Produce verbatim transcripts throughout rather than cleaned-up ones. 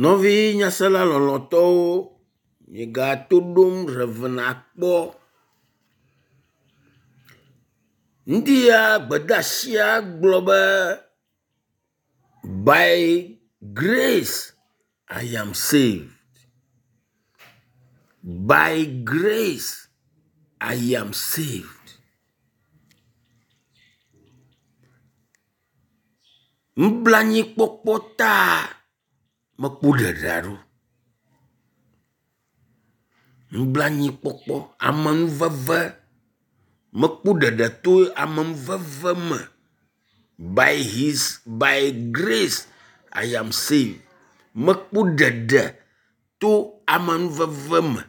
Nɔvi nyasela lɔlɔ̃tɔwo, miegato ɖom Rev. Akpɔ. Ŋdi ya gbedeasia gblɔ be by grace I am saved. By grace I am saved. Nublanuikpɔkpɔ ta mekpɔ ɖeɖe ɖo. Nublanuikpɔkpɔ, amenuveve, mekpɔ ɖeɖe to amenuveve me. By his by grace I am saved. Mekpɔ ɖeɖe to amenuveve me.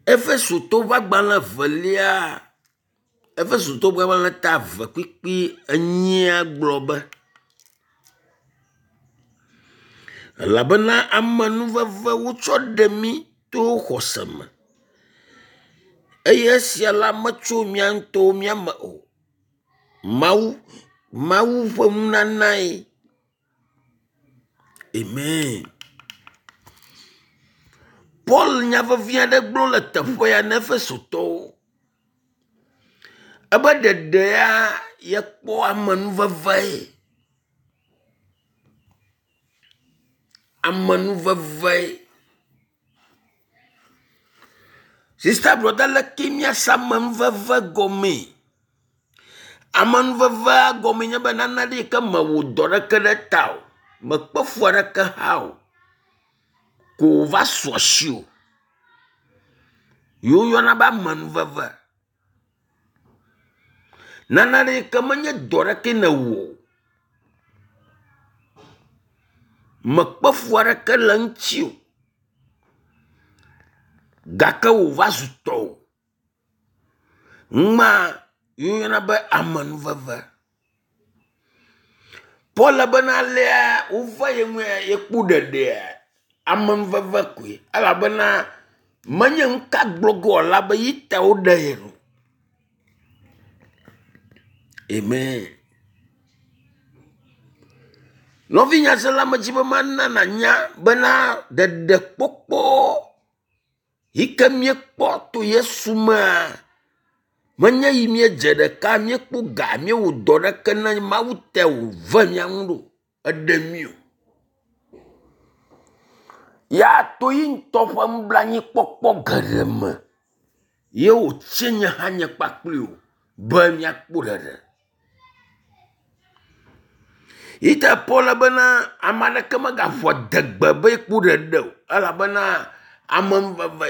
Efesotɔwo ƒe agbalẽ evelia, Efesotɔwo ƒe agbalẽ ta eve kpukpui enyia gblɔ be, elabena amenuveve wotsɔ ɖe mí to xɔse me eye esia la metso mía ŋutɔwo mía me o. Mawu Mawu ƒe nunanae. Amen. Paul nya vevi aɖe gblɔ le teƒe ya na Efesotɔwo. Ebe ɖeɖea yekpɔ amenuveve. Amenuveve. Sista brɔda leke míase amenuveve gɔmee? Amenuvevea gɔmee nye be nane ɖe yi ke mewɔ dɔ ɖeke ɖe ta o, mekpe fu aɖeke hã o ko wòva su asiwò ye woyɔna be amenuveve. Nane ɖe yi ke menye dɔ ɖeke nèwɔ o, mekpe fu aɖeke le eŋuti o gake wòva zu tɔwò. Numa ye woyɔna be amenuveve. Paul bena alea wova ye ŋue yekpɔ ɖeɖea, amenuveve koe elabena menye nu ka gblɔ ge wòala be yi ta woɖe ye ɖo. Amen. Nɔvi nyasela medzi be mana nànya bena ɖeɖekpɔkpɔ yi ke míekpɔ to Yesu mea, menye yi míedze ɖeka míekpɔ ga míewɔ dɔ ɖeke na Mawu te wòve mía ŋu ɖo eɖe mí o. Ya to yi ŋutɔ ƒe nublanuikpɔkpɔ geɖe me ye wòtsi nye hã nye kpakpli wò be míakpɔ ɖeɖe. Yi ta Paul bena ame aɖeke megaƒo adegbe be yekpɔ ɖeɖe o elabena amenuveve.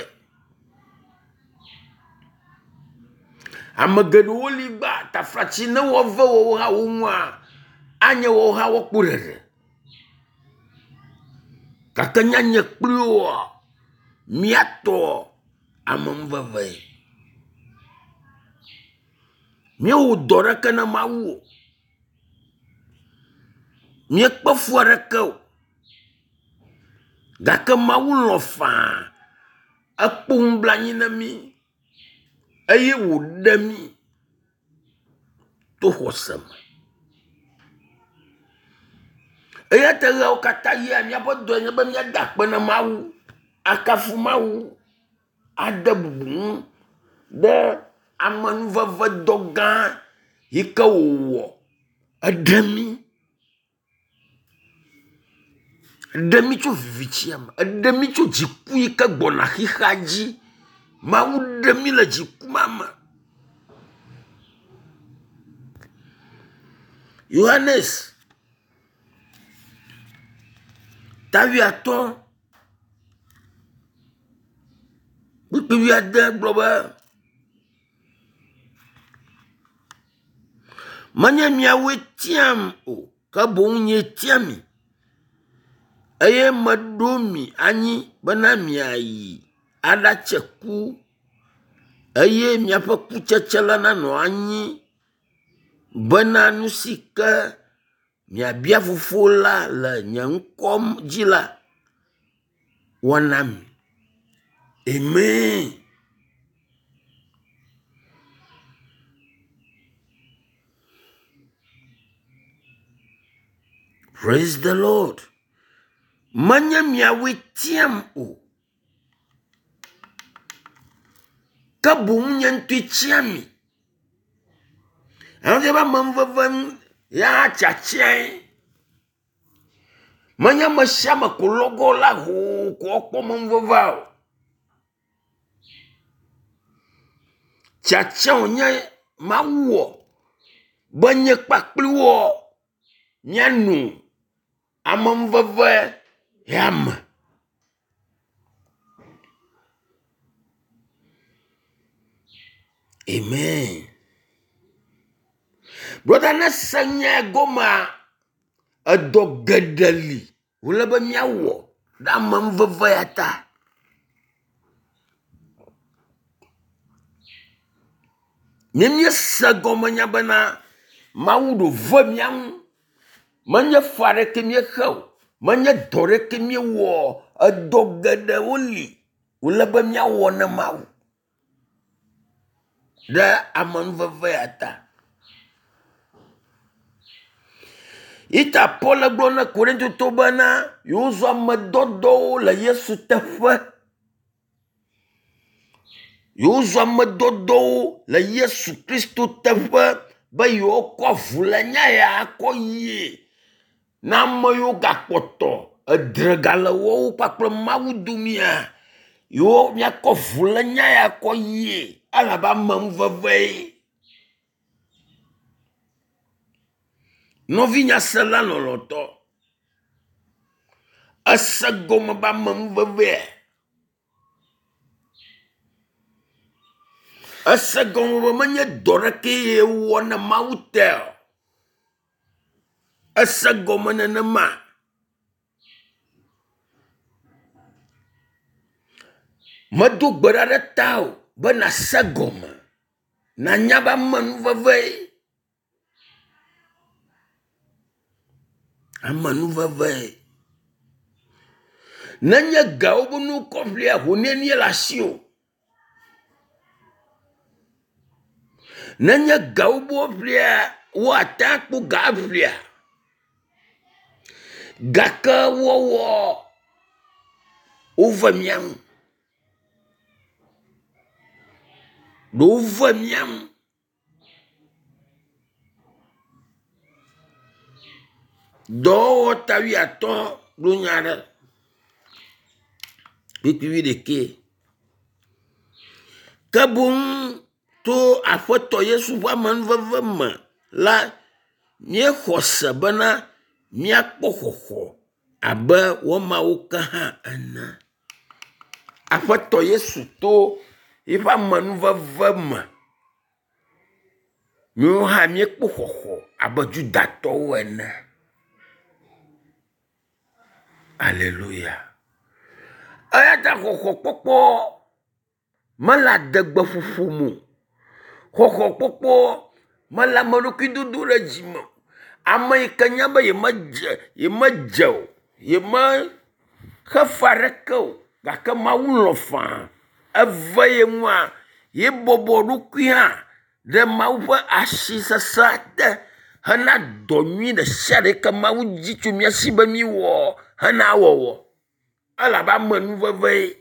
Ame geɖewo li gba taflatsi ne woave woawo hã wo ŋua, anye woawo hã woakpɔ ɖeɖe. Gake nye nye kpli woa, míatɔ amenuveve. Míewɔ dɔ ɖeke na Mawu o. Míekpe fu aɖeke o. Gake Mawu lɔ̃ faa ekpɔ nublanui na mí eye wòɖe mí to xɔse me. Eya ta ɣeawo katã ɣia míaƒe dɔe nye be míada akpe na Mawu, akafu Mawu, ade bubu ŋu ɖe amenuvevedɔ gã yi ke wòwɔ eɖe mí. Eɖe mí tso vivitsia me, eɖe mí tso dziku yi ke gbɔna xixea dzi. Mawu ɖe mí le dziku ma me. Yohanes ta wuiatɔ̃ kpukpui wuiade gblɔ be, menye miawoe tiam o, ke boŋ nyee tia mi eye meɖo mi anyi bena miayi aɖatse ku eye miaƒe kutsetse la nanɔ anyi bena nu si ke miabia fofo la le nye ŋkɔ dzi la, woana mi. Amen. Praise the Lord. Menye miawoe tiam o. Ke boŋ nye ŋutɔe tia mi. Ewɔ be amenuveve ya tiatiae. Menye ame sia ame ko lɔgɔ la hoo ko woakpɔ amenuvevea o. Tiatia wònye Mawu wɔ be nye kpakpli wɔ míano amenuveve ya me. Amen. Brɔda ne se nya gɔmea, edɔ geɖe li wòle be míawɔ ɖe amenuveve ya ta. Ne míese gɔme nya bena Mawu ɖo ve mía ŋu, menye fe aɖeke míexe o, menye dɔ ɖeke míewɔ o, edɔ geɖewo li wòle be míawɔ ne Mawu ɖe amenuveve ya ta. Ita Paul gblɔ na Korintotɔwo bena yewozu amedɔdɔwo le Yesu teƒe. Yewozu amedɔdɔwo le Yesu Kristo teƒe be yewokɔ avu le nya ya kɔ yie na ame yiwo gakpɔtɔ edre gale woawo kpakple Mawu domea. Yewo míakɔ avu le nya ya kɔ yie elabe amenuvevee. Nɔvi nyasela lɔlɔ̃tɔ, ese gɔme be amenuvevea? Ese gɔme be menye dɔ ɖeke ye wɔ ne Mawu te o. Ese gɔme nenema. Medo gbe ɖa ɖe ta o be nàse gɔme, nànya be amenuvevee. Amenuvevee. Nenye gawo be nu kɔ ƒlea, ho nenie le asiwò? Nenye gawo be woaƒlea, woate akpɔ ga aƒlea. Gake wɔwɔ wove mía ŋu. Ɖe wove mía ŋu. Dɔwɔwɔ ta wuiatɔ̃ ɖo nya ɖe. Kpukpui wuiɖekɛ. Ke boŋ to Aƒetɔ Yesu ƒe amenuveve me la, míexɔ se bena míakpɔ xɔxɔ abe woamawo ke hã ene. Aƒetɔ Yesu to eƒe amenuveve me, míawo hã míekpɔ xɔxɔ abe Judatɔwo ene. Aleluya. Eya ta xɔxɔkpɔkpɔ mele adegbeƒoƒo me o. Xɔxɔkpɔkpɔ mele ame ɖokui dodo ɖe dzi me o. Ame yi ke nya be yemedze yemedze o, yemexe fe aɖeke o gake Mawu lɔ̃ faa eve ye ŋua, ye bɔbɔ ɖokui hã ɖe Mawu ƒe asi sesẽ te hena dɔ nyui ɖe sia ɖe yi ke Mawu dzi tso mía si be míwɔ hena wɔwɔ. Elabe amenuvevee.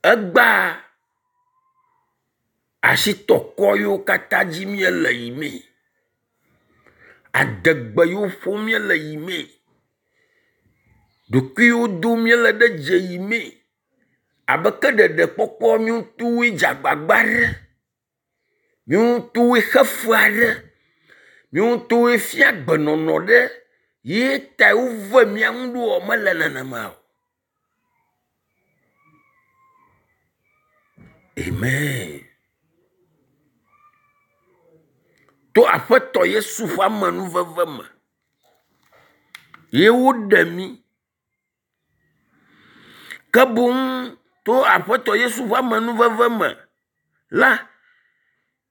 Egbea asitɔkɔ yiwo katã dzi míele yimee. Adegbe yiwo ƒom míele yimee. Ɖokuiwo dom míele ɖe dzi yimee. Abe ke ɖeɖekpɔkpɔ míawo dze agbagba ɖe. Míawo ŋutɔwoe xe fe aɖe. Míawo ŋutɔwoe fia gbenɔnɔ ɖe. Ye ta wove mía ŋu ɖoa mele nenema o. Amen. To Aƒetɔ Yesu ƒe amenuveve me ye woɖe mí. Ke boŋ to Aƒetɔ Yesu ƒe amenuveve me la,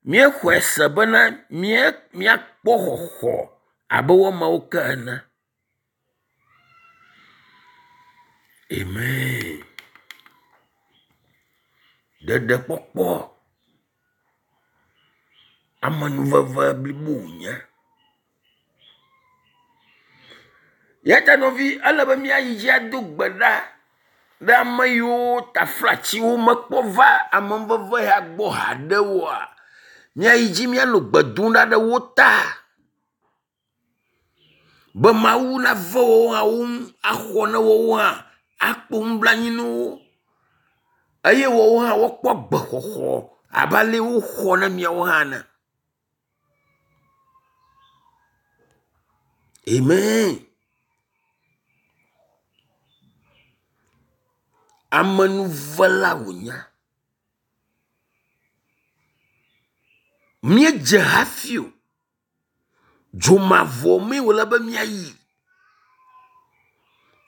míexɔe se bena mía míakpɔ xɔxɔ abe woamawo ke ene. Amen. Ɖeɖekpɔkpɔ. Amenuveve blibo wònye. Ya ta nɔvi, ele be míayi dzi ado gbe ɖa ɖe ame yiwo taflatsi womekpɔ va amenuveve ya gbɔ haɖe oa, míayi dzi míanɔ gbe dom ɖa ɖe wo ta be Mawu nave woawo hã wo ŋu axɔ na woawo hã, akpɔ nublanui na wo eye woawo hã woakpɔ agbexɔxɔ abe ale woxɔ na míawo hã ene. Amen. Amenuvela wònye. Míedze hafi o. Dzomavɔ mee wòle be míayi.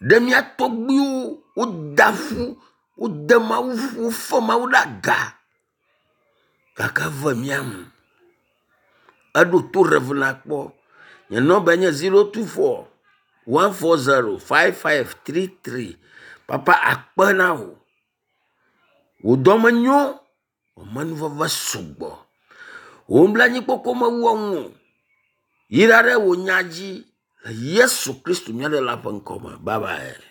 Ɖe mía tɔgbuiwo woda ƒu, wode Mawu ƒu, wofe Mawu ɖe aga gake eve mía nu. Eɖo to Rev. Kpɔ. Nye nɔmbae nye zero two four one four zero five five three three. Papa akpe na wò. Wò dɔme nyo, wò amenuveve sugbɔ. Wò nublanuikpɔkpɔ mewua enu o. Yra ɖe wò nya dzi le Yesu Kristo mía Ɖela ƒe ŋkɔ me. Bye bye.